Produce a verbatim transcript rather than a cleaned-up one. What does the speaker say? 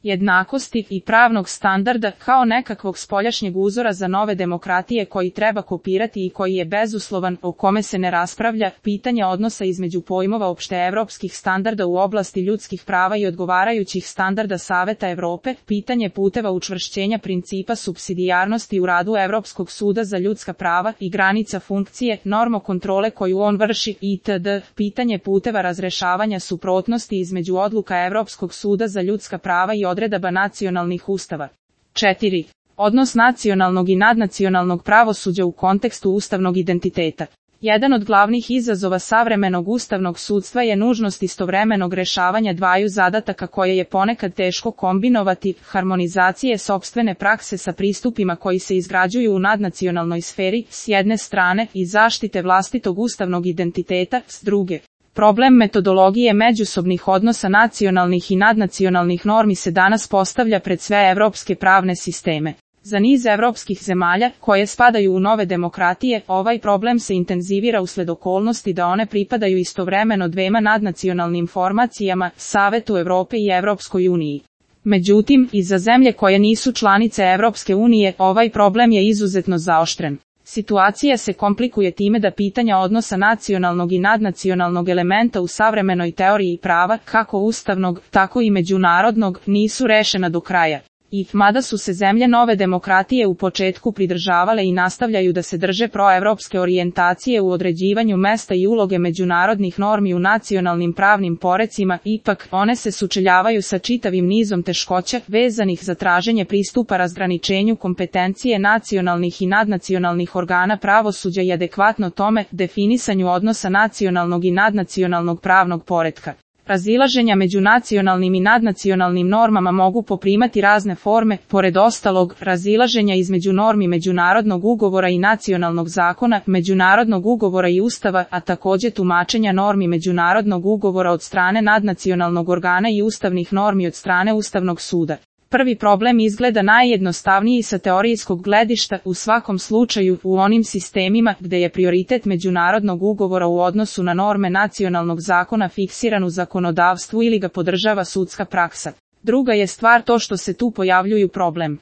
jednakosti i pravnog standarda kao nekakvog spoljašnjeg uzora za nove demokratije koji treba kopirati i koji je bezuslovan, o kome se ne raspravlja, pitanje odnosa između pojmova opšteevropskih standarda u oblasti ljudskih prava i odgovarajućih standarda Saveta Evrope, pitanje puteva učvršćenja principa supsidijarnosti u radu Evropskog suda za ljudska prava i granica funkcije, normokontrole koju on vrši itd., pitanje puteva razrešavanja suprotnosti između odluka Evropskog suda za ljudska prava i odredaba nacionalnih ustava. četiri. Odnos nacionalnog i nadnacionalnog pravosuđa u kontekstu ustavnog identiteta. Jedan od glavnih izazova savremenog ustavnog sudstva je nužnost istovremenog rešavanja dvaju zadataka koje je ponekad teško kombinovati, harmonizacije sopstvene prakse sa pristupima koji se izgrađuju u nadnacionalnoj sferi, s jedne strane, i zaštite vlastitog ustavnog identiteta, s druge. Problem metodologije međusobnih odnosa nacionalnih i nadnacionalnih normi se danas postavlja pred sve evropske pravne sisteme. Za niz evropskih zemalja, koje spadaju u nove demokratije, ovaj problem se intenzivira usled okolnosti da one pripadaju istovremeno dvema nadnacionalnim formacijama, Savetu Evrope i Evropskoj uniji. Međutim, i za zemlje koje nisu članice Evropske unije, ovaj problem je izuzetno zaoštren. Situacija se komplikuje time da pitanja odnosa nacionalnog i nadnacionalnog elementa u savremenoj teoriji prava, kako ustavnog, tako i međunarodnog, nisu rešena do kraja. I, mada su se zemlje nove demokratije u početku pridržavale i nastavljaju da se drže proevropske orijentacije u određivanju mesta i uloge međunarodnih normi u nacionalnim pravnim porecima, ipak, one se sučeljavaju sa čitavim nizom teškoća, vezanih za traženje pristupa razgraničenju kompetencije nacionalnih i nadnacionalnih organa pravosuđa i adekvatno tome, definisanju odnosa nacionalnog i nadnacionalnog pravnog poretka. Razilaženja među nacionalnim i nadnacionalnim normama mogu poprimati razne forme, pored ostalog, razilaženja između normi međunarodnog ugovora i nacionalnog zakona, međunarodnog ugovora i ustava, a takođe tumačenja normi međunarodnog ugovora od strane nadnacionalnog organa i ustavnih normi od strane Ustavnog suda. Prvi problem izgleda najjednostavniji sa teorijskog gledišta, u svakom slučaju, u onim sistemima gde je prioritet međunarodnog ugovora u odnosu na norme nacionalnog zakona fiksiran u zakonodavstvu ili ga podržava sudska praksa. Druga je stvar to što se tu pojavljuju problem.